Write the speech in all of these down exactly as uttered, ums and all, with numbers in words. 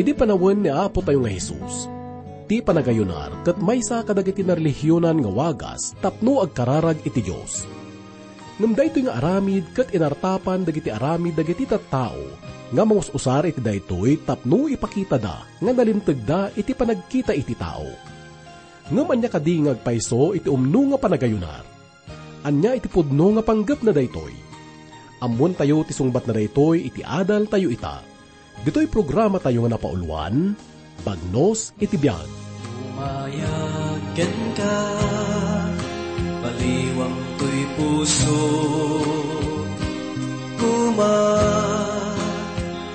Idi panawen ni Apotayo nga Jesus, ti panagayunar ket maysa kadagiti narelihionan nga wagas tapno agkararag iti Dios. Ngem daytoy nga aramid ket inartapan dagiti aramid dagiti tattao nga mangus-usar iti daytoy tapno ipakitada nga nalimtegda iti panagkita iti tao. Ngem ania kadi nga agpayso iti umno nga panagayunar? Ania iti pudno nga panggepna daytoy? Ammoentayo ti sungbatna daytoy iti adaltayo ita. Ditoy programatayo nga napauluan, Bagnos iti Biag. Umayag kenka, baliwang toy puso, kuma,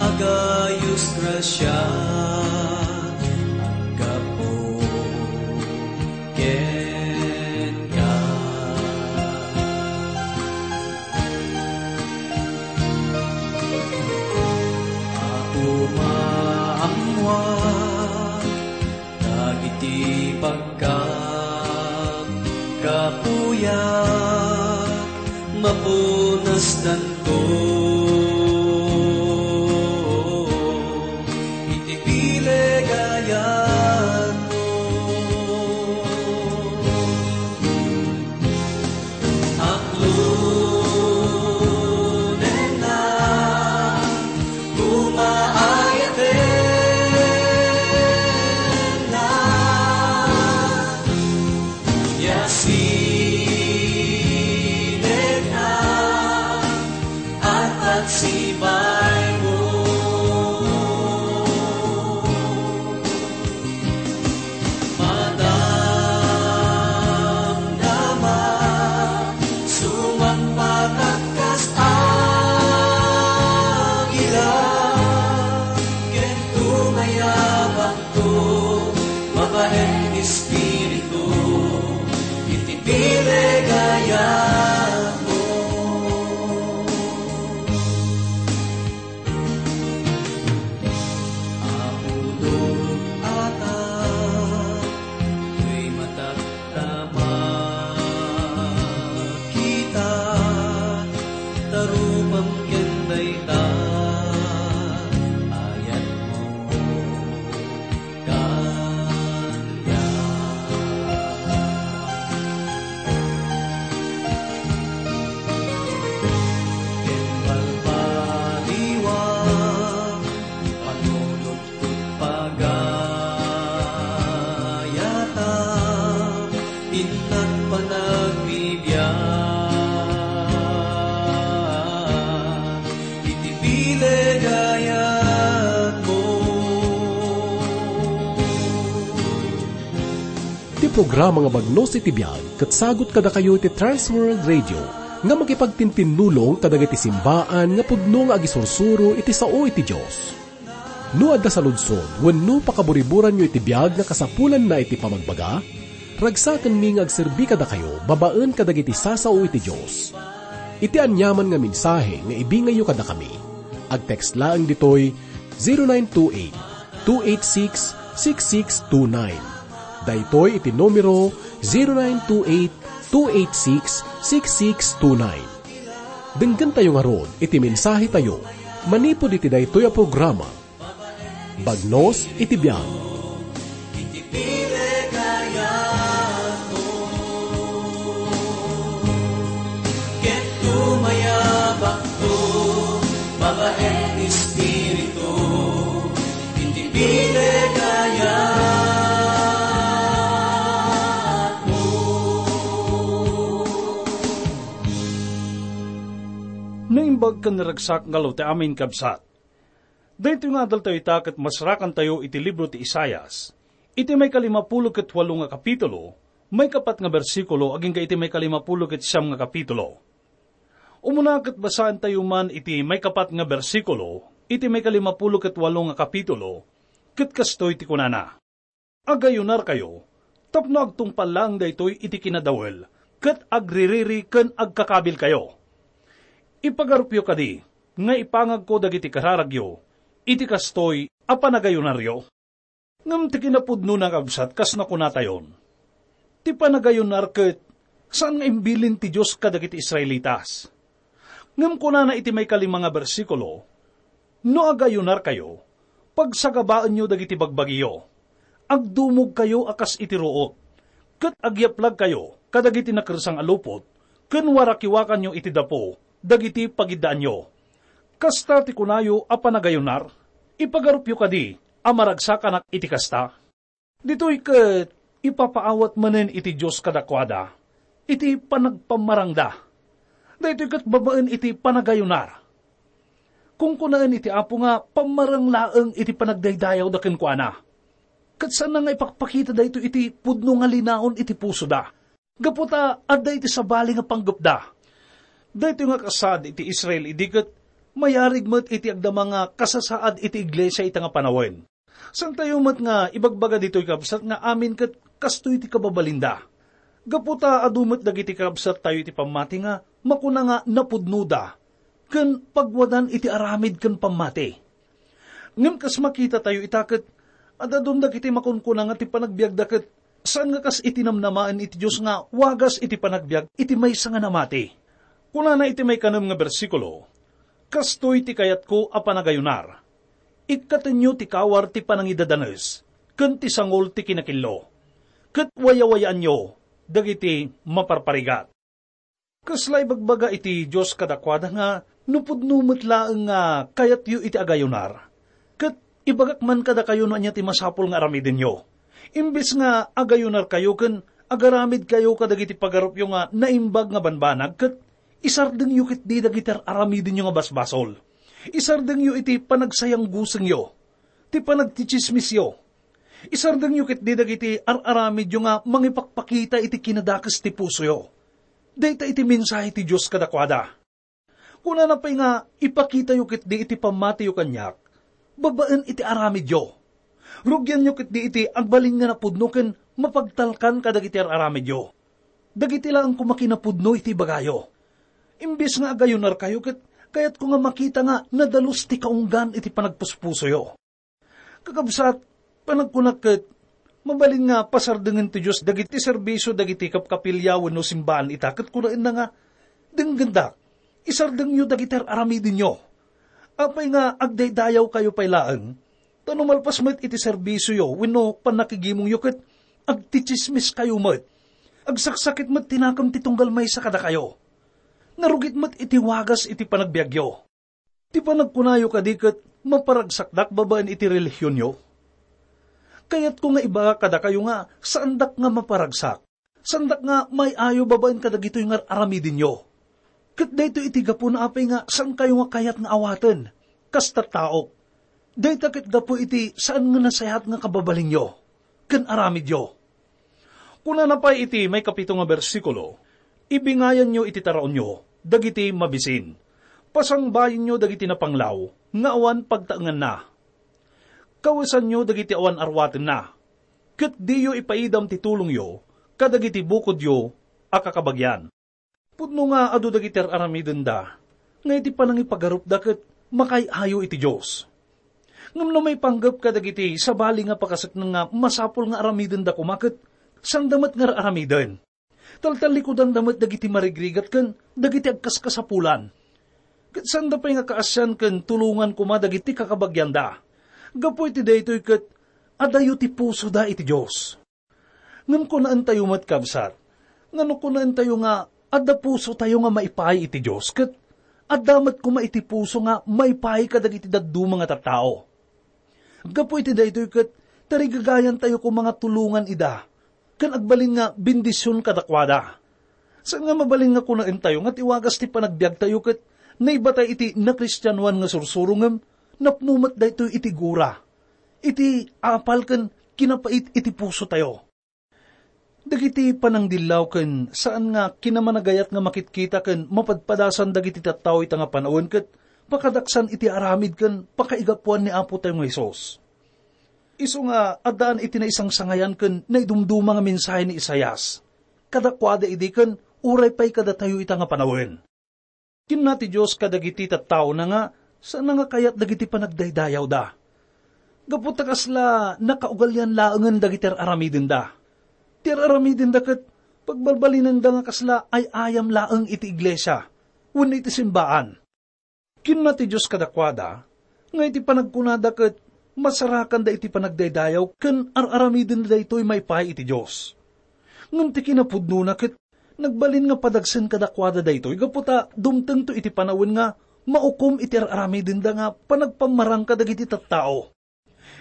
agayos grasia, aggapu kenka. Apo, maammoak dagiti pagkapkapuyak, mapunasdanto iti bileg a yatmo. Aklonenna, kumaayatenna, ya sinegna, at agsibaymo. Madamdama, sumangpet kas agila, ken tumayabakto, babaen espiritu, iti bileg a yatmo. Apo, no ata toy matak ta makita, tarupam ken dayta ayatmo kaniak. Ken balbaliwak, panunot ket pagayata, innak panagbibiag iti bileg a yatmo. Ti programa nga Bagnos iti Biag ket sagut kadakayo iti Trans World Radio nga makipagtintinnulong kadagiti simbaan nga pudno nga agisursuro iti sao iti Dios. No adda saludsod wenno pakaburiburanyo iti biag nga kasapulanna iti pamagbaga, ragsakenmi nga agserbi kadakayo babaen kadagiti sasao iti Dios. Iti aniaman nga mensahe nga ibingayyo kadakami, agtext laeng ditoy zero nine two eight, two eight six, six six two nine. Daytoy iti numero, zero nine two eight, two eight six, six six two nine. Denggentayo ngarud iti mensahetayo manipud iti daytoy a programa, Bagnos iti Biag. Ket tumayabakto, babaen espiritu, iti bileg a yatmo. Naimbag ken naragsak nga aldaw ti amin, kabsat. Daytoy nga adaltayo ita ket masrakantayo iti libro ti Isaias, iti maikalimapulo ket walo nga kapitulo, maikapat nga bersikulo, agingga iti maikalimapulo ket siam nga kapitulo. Umuna ket basaentayo man iti maikapat nga bersikulo iti maikalimapulo ket walo nga kapitulo, ket kastoy ti kunana: Agayunarkayo tapno agtungpal laeng daytoy iti kinadawel ket agririri ken agkakabilkayo. Ipagarupyo kadi nga ipangagko dagiti kararagyo iti kastoy a panagayunaryo. Ngem ti kinapudnona, kabsat, kas nakunatayon, ti panagayunar ket saan nga imbilin ti Dios kadagiti Israelitas. Ngem kunana iti maikalima nga bersikulo, "No agayunarkayo, Pagsagabaenyo dagiti bagbagiyo. Agdumogkayo a kas iti ruot, ket agyaplagkayo kadagiti nakersang a lupot, ken warakiwakanyo iti dapo dagiti pagiddaanyo. Kasta ti kunayo a panagayunar? Ipagarupyo kadi a maragsakanak iti kasta? Ditoy ket ipapaawat manen iti Dios kadakuada iti panagpammarangda. Daytoy ket babaen iti panagayunar. Kunkunaen iti Apo nga pammarang laeng iti panagdaydayawda kenkuana. Ket saanna nga ipakpakita daytoy iti pudno nga linaon iti pusoda, gapu ta adda iti sabali nga panggepda. Daytoy nga kasaad iti Israel idi ket mayarig met iti agdama nga kasasaad iti iglesia ita nga panawen. Saantayo met nga ibagbaga ditoy, kabsat, nga amin ket kastoy ti kababalinda. Gapu ta adu met dagiti kabsattayo iti pammati nga makuna nga napudnoda ken pagwadan iti aramid ken pammati. Ngem kas makitatayo ita ket, ad-adun dagiti makunkuna nga ti panagbiagda ket saan nga kas iti namnamaen iti Dios nga wagas iti panagbiag iti maysa nga namati. Kunana iti maikanem nga bersikulo, "Kastoy ti kayatko a panagayunar. Ikkatenyo ti kawar ti panangidadanes ken ti sangol ti kinakillo, ket wayawayaanyo dagiti maparparigat." Kasla ibagbaga iti Dios kadakuada nga no pudno met laeng nga kayatyo iti agayunar, ket ibagak man kadakayo no ania ti masapul nga aramidenyo. Imbes nga agayunarkayo ken agaramidkayo kadagiti pagarupyo nga naimbag nga banbanag, ket isardengyo ketdi dagiti ar-aramidenyo nga basbasol. Isardengyo iti panagsayanggusengyo, ti panagtitsismisyo. Isardengyo ketdi dagiti ar-aramidyo nga mangipakpakita iti kinadakes ti pusoyo. Dayta iti mensahe ti Dios kadakuada. Kunana pay nga ipakitayo ketdi iti pammatiyo kaniak babaen iti aramidyo. Rugianyo ketdi iti agbalin nga napudno ken mapagtalkan kadagiti ar-aramidyo. Dagiti laeng koma kinapudno iti ibagayo. Imbes nga agayunarkayo, ket kayatko nga makita nga nadalus ti kaunggan iti panagpuspusoyo. Kakabsat, panagkunak ket, mabalin nga pasardengen ti Dios dagiti serbisio dagiti kapkapilya wenno simbaan ita, ket kunaenna nga, "Denggendak, isardengyo dagiti ar-aramidenyo." Apay nga agdaydayawkayo pay laeng? Ta no malpas met iti serbisioyo wenno pannakigimongyo ket agtitsismiskayo met, agsaksakit met ti nakem ti tunggal maysa kadakayo. Narugit met iti wagas iti panagbiagyo. Ti panagkunayo kadi ket maparagsakdak babaen iti relihionyo? Kayatko nga ibagak kadakayo nga saandak nga maparagsak. Saandak nga may-ayo babaen kadagitoy nga ar-aramidenyo. Ket daytoy iti gapuna apay nga saankayo nga kayat nga awaten kas tattaok. Dayta ket gapu iti saan nga nasayaat nga kababalinyo ken aramidyo. Kunana pay iti maikapito nga bersikulo, "Ibingayanyo iti taraonyo dagiti mabisin. Pasangbayenyo dagiti napanglaw nga awan pagtaenganna. Kawesanyo dagiti awan arwatenna, ket diyo ipaidam ti tulongyo kadagiti bukodyo a kakabagian." Pudno nga adu dagiti ar-aramidenda nga iti panangipagarupda ket makaay-ayo iti Dios. Ngem no maipanggep kadagiti sabali nga pakasekneng nga masapul nga aramidenda koma ket saanda met nga ar-aramiden. Taltallikudanda met dagiti marigrigat ken dagiti agkaskasapulan. Ket saanda pay nga kaasian ken tulongan koma dagiti kakabagianda. Gapu iti daytoy ket adayo ti pusoda iti Dios. Ngem kunaentayo met, kabsat, nga no kunaentayo nga adda pusotayo nga maipaay iti Dios, ket adda met koma iti puso nga maipaay kadagiti dadduma nga tattao. Gapu iti daytoy ket tarigagayantayo koma nga tulongan ida ken agbalin nga bendision kadakuada. Saan nga mabalin nga kunaentayo nga ti wagas ti panagbiagtayo ket naibatay iti nakristianoan nga sursuro ngem napno met daytoy iti gura, iti apal ken kinapait iti pusotayo. Dagiti panangdillaw ken saan nga kinamanagayat nga makitkita ken mapadpadasan dagiti tattao ita nga panawen ket pakadaksan iti aramid ken pakaigapuan ni Apotayo nga Jesus. Isu nga addaan iti naisangsangayan ken naidumduma nga mensahe ni Isaias kadakuada idi ken uray pay kadatayo ita nga panawen. Kinuna ti Dios kadagiti tattaona nga saanna nga kayat dagiti panagdaydayawda. Gapu ta kasla nakaugalian laengen dagiti ar-aramidenda. Ti ar-aramidenda ket pagbalbalinenda nga kasla ay-ayam laeng iti iglesia wenno iti simbaan. Kinuna ti Dios kadakuada nga iti panagkunada ket masarakanda iti panagdaydayaw ken ar-aramidenda daytoy maipaay iti Dios. Ngem ti kinapudnona ket nagbalin nga padagsen kadakuada daytoy gapu ta dumtengto iti panawen nga maukom iti ar-aramidenda nga panagpammarangka dagiti tattao.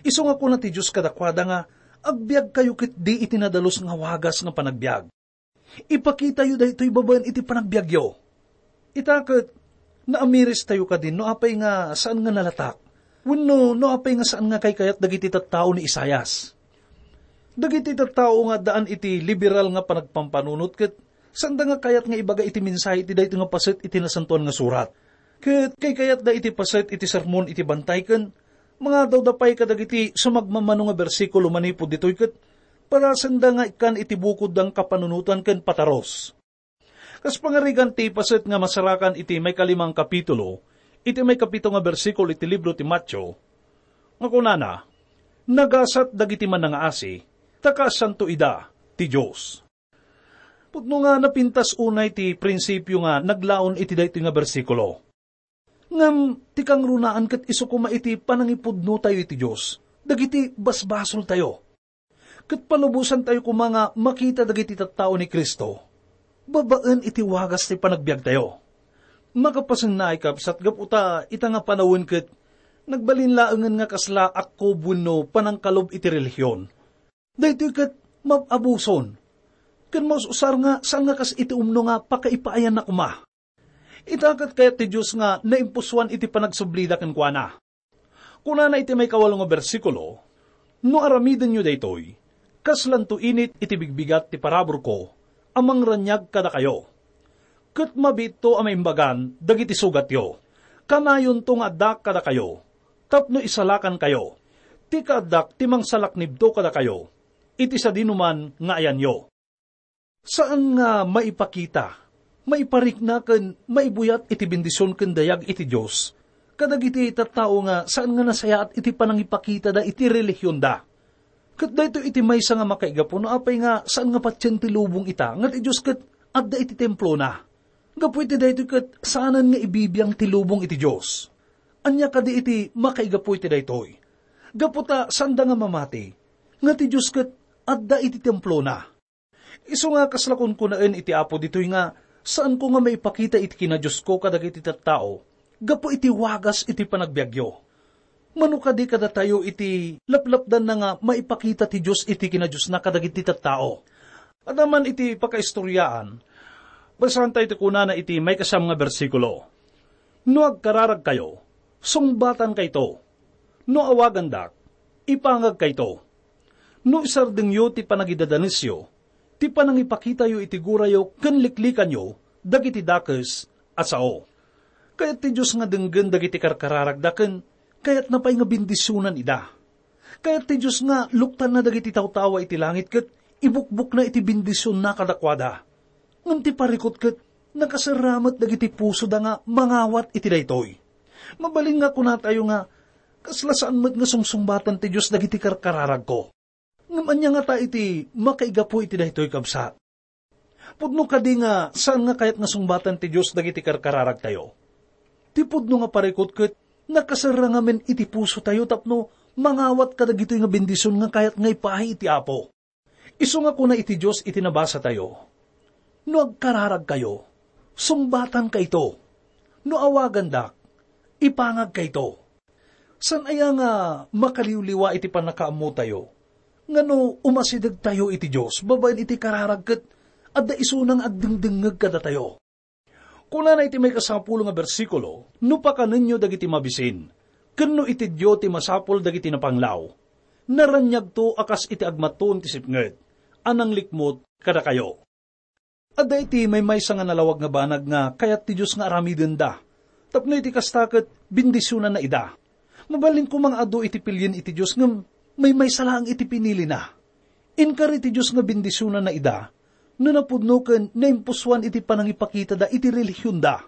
Isu nga kuna ti Dios kadakuada nga, "Agbiagkayo ketdi iti nadalus nga wagas nga panagbiag." Ipakitayo daytoy babaen iti panagbiagyo. Ita ket, naamiristayo kadi no apay nga saan nga nalatak, wenno no apay nga saan nga kaykayat dagiti tattao ni Isaias. Dagiti tattao nga addaan iti liberal nga panagpampanunot ket saanda nga kayat nga ibaga iti mensahe iti daytoy nga paset iti Nasantoan nga Surat. Ket kaykayatda iti paset iti sermon iti bantay ken mangadawda pay kadagiti sumagmamano nga bersikulo manipud ditoy ket parasenda nga ikkan iti bukodda nga kapanunotan ken pataros. Kas pangarigan ti paset nga masarakan iti maikalimang kapitulo, iti maikapito nga bersikulo iti libro ti Mateo, nga kunana, "Nagasat dagiti mannangaasi, ta kaasianto ida ti Dios." Pudno nga napintas unay ti prinsipio nga naglaon iti daytoy nga bersikulo. Ngem ti kangrunaan ket isu koma iti panangipudnotayo iti Dios, dagiti basbasoltayo. Ket palubosantayo koma nga makita dagiti tattao ni Cristo babaen iti wagas ti panagbiagtayo. Makapasennaay, kabsat, gapu ta ita nga panawen ket nagbalin laengen nga kasla akkob wenno panangkalob iti relihion. Daytoy ket mab-abuson ken maus-usar nga saan nga kas iti umno nga pakaipaayanna koma. Ita ket kayat ti Dios nga naimpusoan iti panagsublida kenkuana. Kunana iti maikawalo nga bersikulo, "No aramidenyo daytoy, kaslanto init iti bigbigat ti paraburko a mangraniag kadakayo. Ket mabiitto a maimbagan dagiti sugatyo. Kanayonto nga addaak kadakayo tapno isalakankayo. Ti kaaddak ti mangsalaknibto kadakayo iti sadinoman nga ayanyo." Saan nga maipakita, maiparikna ken maibuyat iti bendision ken dayag iti Dios kadagiti tattao nga saan nga nasayaat iti panangipakitada iti relihionda. Ket daytoy iti maysa nga makaigapu no apay nga saan nga patien ti lubong ita nga ti Dios ket adda iti templona. Gapu iti daytoy ket saanen nga ibibiang ti lubong iti Dios. Ania kadi iti makaigapu iti daytoy? Gapu ta saanda nga mamati nga ti Dios ket adda iti templona. Isu nga kasla kunkunaen iti Apo ditoy nga, "Saanko nga maipakita iti kinadiosko kadagiti tattao gapu iti wagas iti panagbiagyo." Mano kadi kadatayo iti laplapdanna nga maipakita ti Dios iti kinadiosna kadagiti tattao? Adda man iti pakaistoriaan, basaentayo ti kunana iti maikasam nga bersikulo, "No agkararagkayo, sungbatankayto. No awagandak, ipangagkayto. No isardengyo ti panagidadanesyo, ti panangipakitayo iti gurayo ken liklikanyo dagiti dakes a sao." Kayat ti Dios nga denggen dagiti karkararagda ken kayatna pay nga bendisionan ida. Kayat ti Dios nga luktanna dagiti tawtawa iti langit ket ibukbukna iti bendisionna kadakuada. Ngem ti parikut ket nakaserra met dagiti pusoda nga mangawat iti daytoy. Mabalin nga kunatayo nga, "Kasla saan met nga sungsungbatan ti Dios dagiti karkararagko." Ngem ania ngata iti makaigapu iti daytoy, kabsat? Pudno kadi nga saan nga kayat nga sungbatan ti Dios dagiti karkararagtayo? Ti pudno nga parikut ket nakaserra ngamin iti pusotayo tapno mangawat kadagitoy nga bendision nga kayat nga ipaay iti Apo. Isu nga kuna iti Dios iti nabasatayo, "No agkararagkayo, sungbatankayto. No awagandak, ipangagkayto." Saan aya nga makaliwliwa iti pannakaammotayo nga no umasidegtayo iti Dios babaen iti kararag ket adda isuna nga agdengdengngeg kadatayo? Kunana iti maikasangapulo nga bersikulo, "No pakanenyo dagiti mabisin, ken no itedyo ti masapul dagiti napanglaw, naraniagto a kas iti agmattuon ti sipnget a nanglikmut kadakayo." Adda iti maymaysa nga nalawag nga banag nga kayat ti Dios nga aramidenda, tapno iti kasta ket bendisionanna ida. Mabalin koma nga adu iti pilien iti Dios ngem maymaysa laeng iti pinilina. Inkari ti Dios nga bendisionanna ida no napudno ken naimpusoan iti panangipakitada iti relihionda.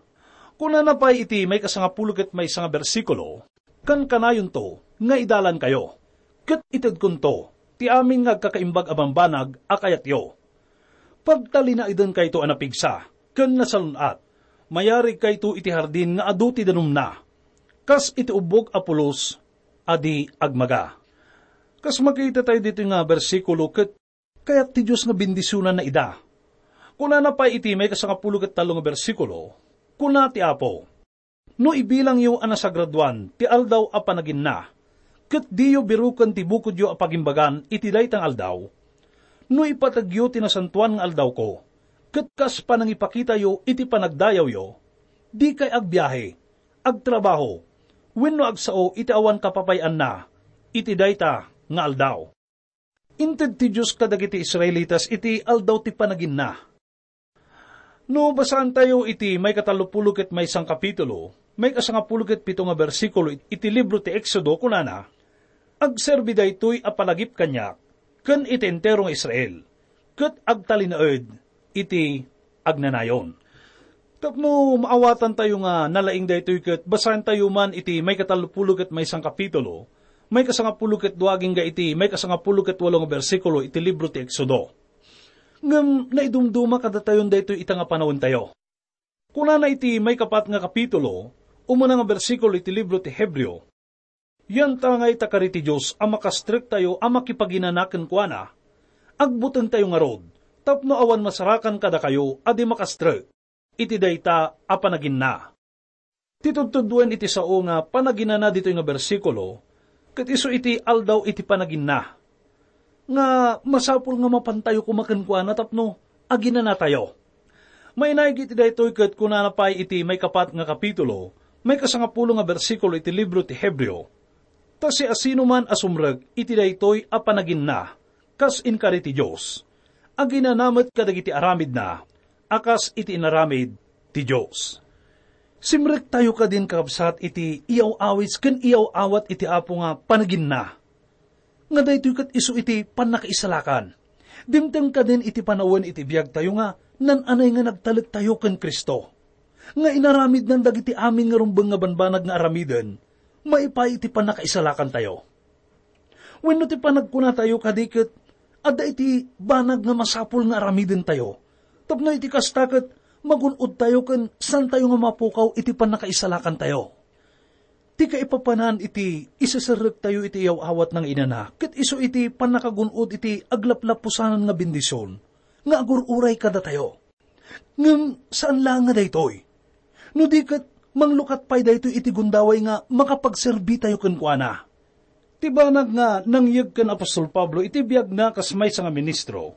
Kunana pay iti maikasangapulo ket maysa nga bersikulo, "Kankanayonto nga idalankayo, ket itedkonto ti amin nga agkakaimbag a bambanag a kayatyo. Pagtalinaedenkayto a napigsa ken nasalun-at. Mayarigkayto iti hardin nga adu ti danumna. Kas iti ubbog a pulos, a di agmaga. Kas makita tayo ditoy nga bersikulo, ket kayat ti Dios nga bendisionanna ida. Kunana pay iti maikasangapulo ket tallo nga bersikulo, kuna ti Apo, "No ibilangyo a nasagradoan ti aldaw a panaginna, ket diyo biroken ti bukodyo a pagimbagan iti dayta nga aldaw, no ipategyo ti nasantoan nga aldawko, ket kas panangipakitayo iti panagdayawyo, dikay agbiahe, agtrabaho, wenno agsao iti awan kapapay-anna iti dayta nga aldaw." Inted ti Dios kadagiti Israelitas iti aldaw ti panaginna. No basaantayo iti maikatallopulo ket maysa nga kapitulo, maikasangapulo ket pito nga bersikulo it-, iti libro ti Exodo, kunana, "Agserbi daytoy a palagip kaniak ken iti entero nga Israel, ket agtalinaed iti agnanayon." Tapno maawatantayo nga nalaing daytoy ket basaentayo man iti maikatallopulo ket maysa nga kapitulo, maikasangapulo ket dua agingga iti maikasangapulo ket walo nga bersikulo iti libro ti Exodo. Ngem naidumduma kadatayon daytoy ita nga panawantayo. Kunana iti maikapat nga kapitulo, umuna nga bersikulo iti libro ti Hebreo, "Yantangay ta kari ti Dios a makastrektayo a makipaginana kenkuana, agbutengtayo ngarud tapno awan masarakan kadakayo a di makastrek iti dayta a panaginna." Ti tudtuduen iti sao nga panaginana ditoy nga bersikulo, ket isu iti aldaw iti panaginna, nga masapul nga mapantayo koma kenkuana tapno aginanatayo. Mainaig iti daytoy ket kunana pay iti maikapat nga kapitulo, maikasangapulo nga bersikulo iti libro ti Hebreo, "Ta siasinoman a sumrek iti daytoy a panaginna kas inkari ti Dios, aginana met kadagiti aramidna a kas iti inaramid ti Dios." Simrektayo kadin, kakabsat, iti iyaw-awis ken iyaw-awat iti Apo nga panaginna, nga daytoy ket isu iti pannakaisalakan. Dimteng kadin iti panawen iti biagtayo nga nan-anay nga nagtalektayo ken Cristo, nga inaramidnan dagiti amin nga rumbeng nga banbanag nga aramiden maipaay iti pannakaisalakantayo. Wenno ti panagkunatayo kadi ket adda iti banag nga masapul nga aramidentayo, tapno iti kasta ket magun-odtayo ken saantayo nga mapukaw iti pannakaisalakantayo. Ti kaipapanan iti iseserrektayo iti iyaw-awatna nga inana ket isu iti pannakagun-od iti aglaplapusanan nga bendision nga agur-uray kadatayo. Ngem saan laeng nga daytoy. No di ket, manglukat pay daytoy iti gundaway nga makapagserbitayo kenkuana. Ti banag nga nangyeg ken apostol Pablo iti biagna kas maysa nga ministro,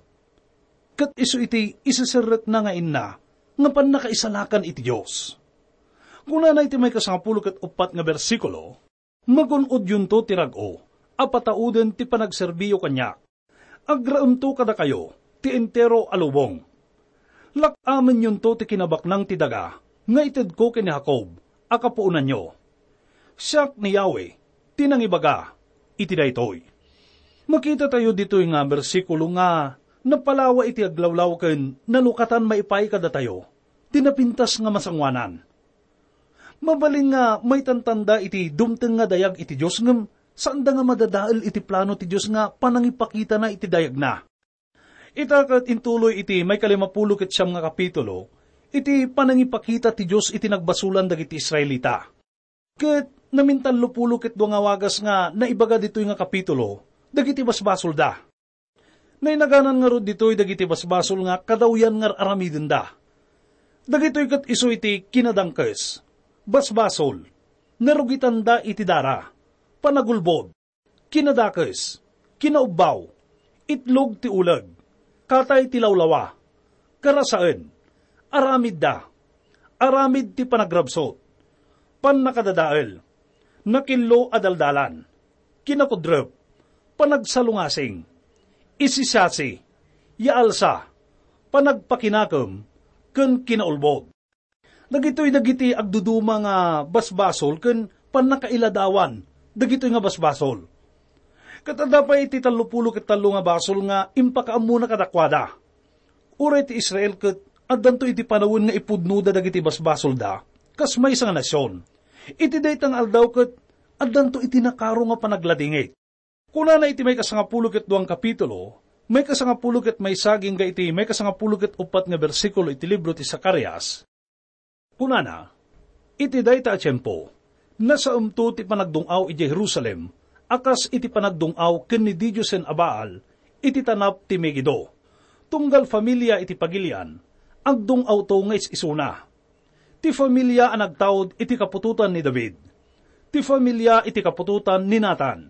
ket isu iti iseserrekna nga inna nga pannakaisalakan iti Dios. Kunana iti maikasangapulo ket uppat nga bersikulo, "Magun-odyonto ti rag-o a patauden ti panagserbiyo kaniak. Agraemto kadakayo ti entero a lubong. Lak-amenyonto ti kinabaknang ti daga nga itedko ken ni Jacob a kapuonanyo. Siak ni Yahweh ti nangibaga iti daytoy." Makitatayo ditoy nga bersikulo nga napalawa iti aglawlaw ken nalukatan maipaay kadatayo ti napintas nga masangoanan. Mabalin nga maitantanda iti dumteng nga dayag iti Dios, ngem saanda nga madadael iti plano ti Dios nga panangipakitana iti dayagna. Ita ket intuloy iti maikalimapulo ket siam nga kapitulo iti panangipakita ti Dios iti nagbasolan dagiti Israelita. Ket namintallopulo ket dua nga wagas nga naibaga ditoy nga kapitulo dagiti basbasolda. Nainaganan ngarud ditoy dagiti basbasol nga kadawyan nga ar-aramidenda. Dagitoy ket isu iti kinadangkes, basbasol, narugitanda iti dara, panagulbod, kinadakes, kinaubbaw, itlog ti uleg, katay ti lawlawa, karasaen, aramidda, aramid ti panagrabsut, pannakadadael, nakillo a daldalan, kinakudrep, panagsalungasing, isisasi, yaalsa, panagpakinakem, ken kinaulbod. Dagitoy dagiti agduduma nga basbasol ken pannakailadawan dagitoy nga basbasol. Ket adda pay iti tallopulo ket tallo nga basol nga impakaammona kadakuada. Uray ti Israel ket addanto iti panawen nga ipudnoda dagiti basbasolda kas maysa nga nasion. Iti dayta nga aldaw ket addanto iti nakaro nga panagladingit. Kunana iti maikasangapulo ket dua nga kapitulo, maikasangapulo ket maysa agingga iti maikasangapulo ket uppat nga bersikulo iti libro ti Zacarias. Kunana, "Iti dayta a tiempo, Nasaemto ti panagdung-aw idiay Jerusalem a kas iti panagdung-aw ken ni didiosen a Baal iti tanap ti Megido. Tunggal familia iti pagilian, agdung-awto nga is-isuna. Ti familia a nagtaud iti kaputotan ni David, ti familia iti kaputotan ni Natan,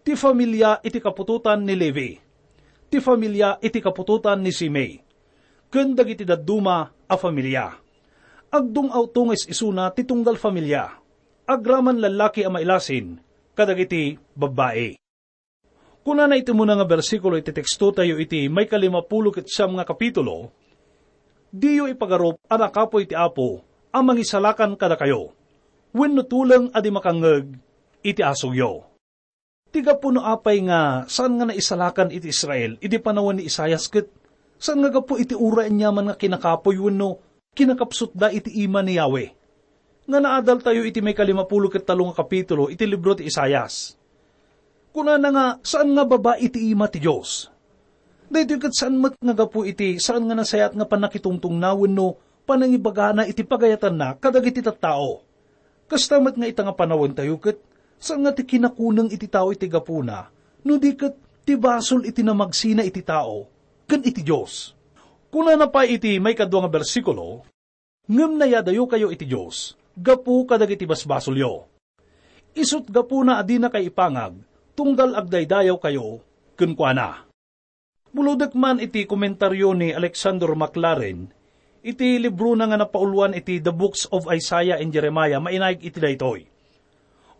ti familia iti kaputotan ni Levi, ti familia iti kaputotan ni Simei, ken dagiti dadduma a familia. Agdung-awto nga is-isuna ti tunggal familia. Agraman lallaki a mailasin kadagiti babbai. Kunana iti umuna nga bersikulo iti tekstotayo iti maikalimapulo ket siam nga kapitulo, "Diyo ipagarup a nakapuy ti Apo a mangisalakan kadakayo, wenno tuleng a di makangngeg iti asugyo." Ti gapu no apay nga saan nga naisalakan iti Israel idi panawen ni Isaias ket saan nga gapu iti uray aniaman nga kinakapuy wenno kinakapsutda iti ima ni Yahweh. Nga naadaltayo iti maikalimapulo ket tallo nga kapitulo iti libro ti Isaias. Kunana nga saan nga baba iti ima ti Dios. Daytoy ket saan met nga gapu iti saan nga nasayaat nga pannakitungtungna wenno panangibagana iti pagayatanna kadagiti tattao. Kasta met nga ita nga panawentayo ket saan nga ti kinakuneng iti tao iti gapuna, no di ket ti basol iti namagsina iti tao ken iti Dios. Kunana pay iti maikadua nga bersikulo, "Ngem nayadayokayo iti Dios gapu kadagiti basbasolyo. Isut' gapuna a dinakayo ipangag, tunggal agdaydayawkayo kenkuana." Bulodek man iti komentario ni Alexander McLaren iti librona nga napauluan iti The Books of Isaiah and Jeremiah, mainaig iti daytoy.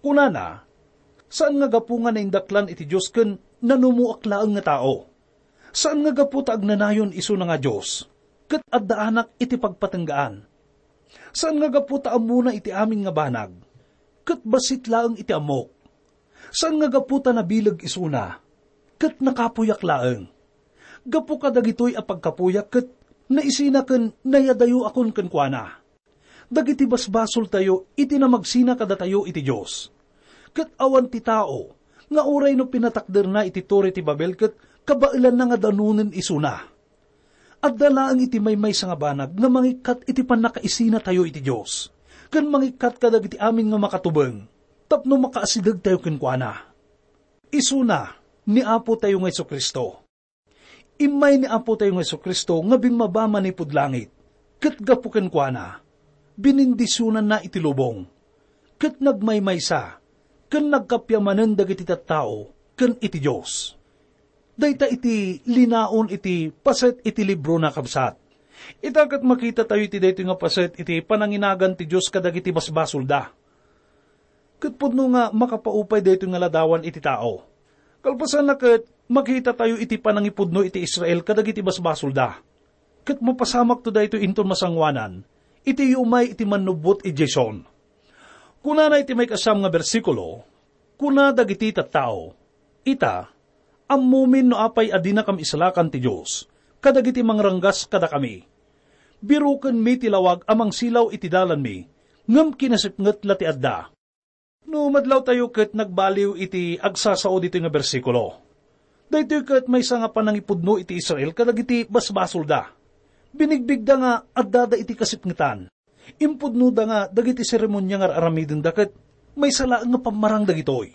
Kunana, saan nga gapu nga naindaklan iti Dios ken nanumoak laeng nga tao. Saan nga gapu ta agnanayon isuna nga Dios, ket addaanak iti pagpatenggaan. Saan nga gapu ta ammona iti amin nga banag, ket bassit laeng iti ammok. Saan nga gapu ta nabileg isuna, ket nakapuyak laeng. Gapu kadagitoy a pagkapuyak ket naisina ken nayadayoakon kenkuana. Dagiti basbasoltayo iti namagsina kadatayo iti Dios. Ket awan ti tao nga uray no pinatakderna iti Torre ti Babel ket kabaelanna nga danonen isuna. Adda laeng iti maymaysa nga banag nga mangikkat iti pannakaisinatayo iti Dios, ken mangikkat kadagiti amin nga makatubeng tapno makaasidegtayo kenkuana. Isuna ni Apotayo nga Jesu-Cristo. Immay ni Apotayo nga Jesu-Cristo nga bimmaba manipud langit, ket gapu kenkuana, binindisionanna iti lubong, ket nagmaymaysa, ken nagkappia manen dagiti tattao ken iti Dios. Dayta iti linaon iti paset iti librona, kabsat. Ita ket makitatayo iti daytoy nga paset iti pananginagan ti Dios kadagiti basbasolda. Ket pudno nga makapaupay daytoy nga ladawan iti tao. Kalpasanna ket makitatayo iti panangipudno iti Israel kadagiti basbasolda. Ket mapasamakto daytoy inton masangoanan iti umay iti mannubbot idiay Sion. Kunana iti maikasiam nga bersikulo, kuna dagiti tattao, "Ita, ammomin no apay a dinakam isalakan ti Dios kadagiti mangranggas kadakami. Birokenmi ti lawag a mangsilaw iti dalanmi, ngem kinasipnget la ti adda." No madlawtayo ket nagbaliw iti agsasao ditoy nga bersikulo. Daytoy ket maysa nga panangipudno iti Israel kadagiti basbasolda. Binigbigda nga addada iti kasipngetan. Impudnoda nga dagiti seremonia nga ar-aramidenda ket maysa laeng nga pammarang dagitoy.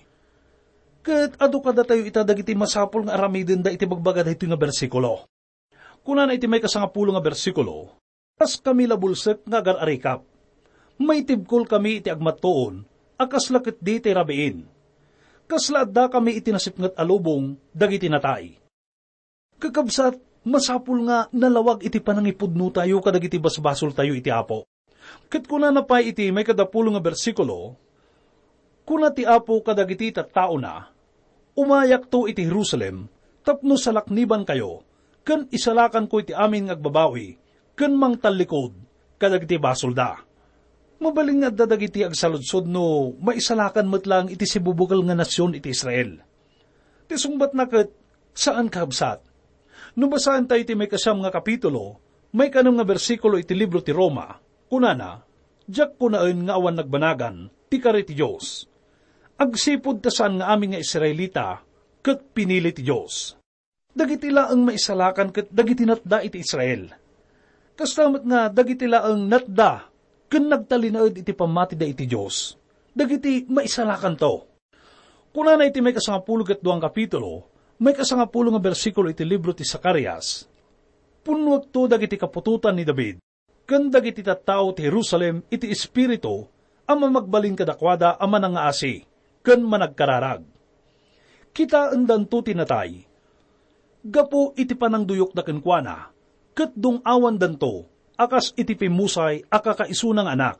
Ket adu kadatayo ita dagiti masapul nga aramidenda iti bagbaga daytoy nga bersikulo. Kunana iti maikasangapulo nga bersikulo, "Kaskami la bulsek nga agar-arikap. Maitibkolkami iti agmattuon a kasla ketdi ti rabiin. Kasla addakami iti nasipnget a lubong dagiti natay." Kakabsat, masapul nga nalawag iti panangipudnotayo kadagiti basbasoltayo iti Apo. Ket kunana pay iti maikadapulo nga bersikulo, "Kuna ti Apo kadagiti tattaona, 'Umayakto iti Jerusalem tapno salaknibankayo, ken isalakanko iti amin nga agbabawi ken mangtallikud kadagiti basolda.'" Mabalin nga adda dagiti agsaludsod no maisalakan met laeng iti sibubukel nga nasion iti Israel. Ti sungbatna ket saan, kabsat. No basaentayo ti maikasiam nga kapitulo, maikanem nga bersikulo iti libro ti Roma, kunana, "Diak kunaen nga awan nagbanagan ti kari ti Dios. Agsipud ta saan nga amin nga Israelita ket pinili ti Dios." Dagiti laeng maisalakan ket dagiti natda iti Israel. Kasta met nga dagiti laeng natda ken nagtalinaed iti pammatida iti Dios, dagiti maisalakanto. Kunana iti maikasangapulo ket dua nga kapitulo, maikasangapulo nga bersikulo iti libro ti Zacarias, "Punnuekto dagiti kaputotan ni David ken dagiti tattao ti Jerusalem iti espiritu a mamagbalin kadakuada a manangngaasi ken managkararag. Kitaendanto ti natay gapu iti panangduyokda kenkuana, ket dung-awandanto a kas iti pimmusay a kakaisuna nga anak.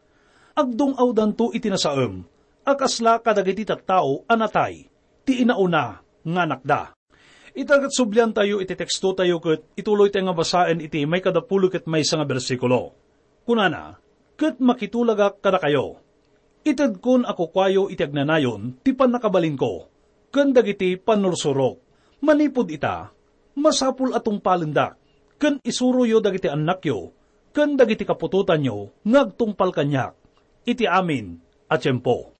Agdung-awdanto iti nasaem a kasla kadagiti tattao a natay ti inauna nga anakda." Ita ket subliantayo iti tekstotayo ket ituloytayo nga basaen iti maikadapulo ket maysa nga bersikulo. Kunana, "Ket makitulagak kadakayo. Itedkon a kukuayo iti agnanayon ti pannakabalinko ken dagiti pannursurok. Manipud ita, masapul a tungpalendak ken isuroyo dagiti annakyo ken dagiti kaputotanyo nga agtungpal kaniak iti amin a tiempo."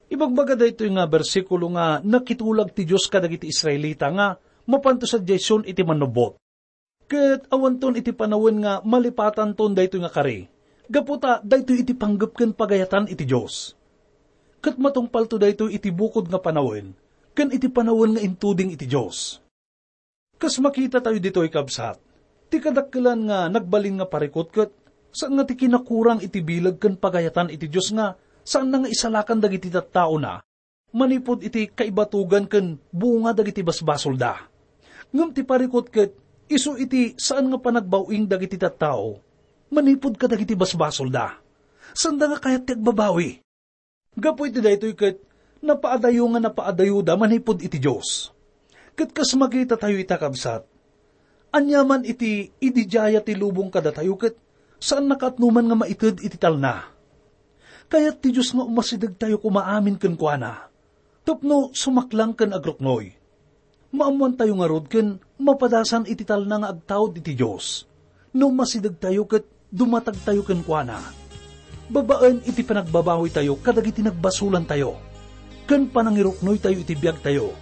Ibagbaga daytoy nga bersikulo nga nakitulag ti Dios kadagiti Israelita nga mapanto sadiay Sion iti mannubbot. Ket awanton iti panawen nga malipatanton daytoy nga kari, gapu ta daytoy iti panggep ken pagayatan iti Dios. Ket matungpalto daytoy iti bukod nga panawen ken iti panawen nga intuding iti Dios. Kas makitatayo ditoy, kabsat, ti kadakkelan nga nagbalin nga parikut ket saan nga ti kinakurang iti bileg ken pagayatan iti Dios nga saanna nga isalakan dagiti tattaona manipud iti kaibatugan ken bunga dagiti basbasolda. Ngem ti parikut ket isu iti saan nga panagbaw-ing dagiti tattao manipud kadagiti basbasolda. Saanda nga kayat ti agbabawi. Gapu iti daytoy ket napaadayo nga napaadayoda manipud iti Dios. Ket kas makitatayo ita, kabsat, aniaman iti ididiaya ti lubong kadatayo ket saan nakaatnoman nga maited iti talna. Kayat ti Dios nga umasidegtayo koma amin kenkuana tapno sumaklang ken agruknoy. Maammoantayo ngarud ken mapadasan iti talna nga agtaud iti Dios no masidegtayo ket dumatagtayo kenkuana babaen iti panagbabawitayo kadagiti nagbasolantayo ken panangiruknoytayo iti biagtayo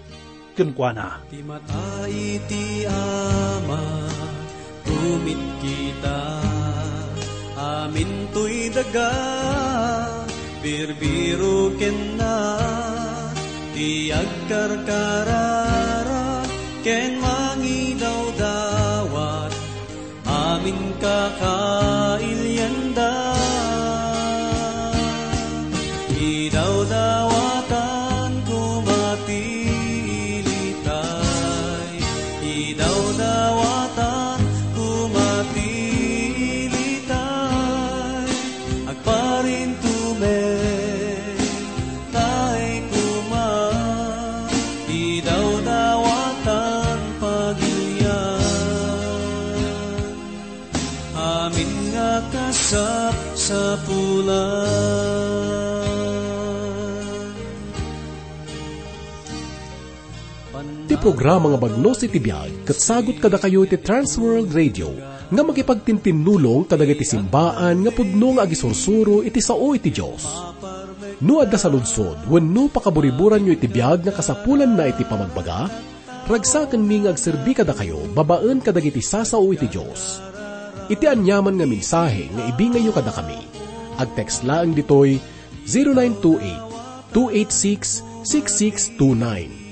kenkuana. Ti mata iti Ama, tumit kita, amintoy daga, birbiro kenna, ti agkarkararag ken mangidawdawat, amin kakailianda. Idawdawatan koma ti ilitay, idawdawatan koma ti ilitay, agparintumen tay koma, idawdawatan pagilian, amin nga kasapsapulan. Ti programa nga Bagnos iti Biag ket sagut kadakayo iti Trans World Radio nga makipagtintinnulong kadagiti simbaan nga pudno nga agisursuro iti sao iti Dios. No adda saludsod wenno pakaburiburanyo iti biag nga kasapulanna iti pamagbaga, ragsakenmi nga agserbi kadakayo babaen kadagiti sasao iti Dios. Iti aniaman nga mensahe nga ibingayyo kadakami, agtext laeng ditoy zero nine two eight, two eight six, six six two nine.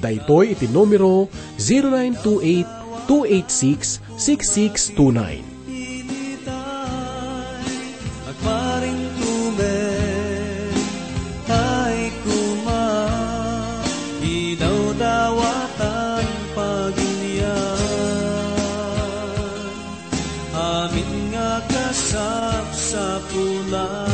Daytoy iti numero zero nine two eight, two eight six, six six two nine. Agparintumen tay koma, idawdawatan pagilian, amin nga kasapsapulan.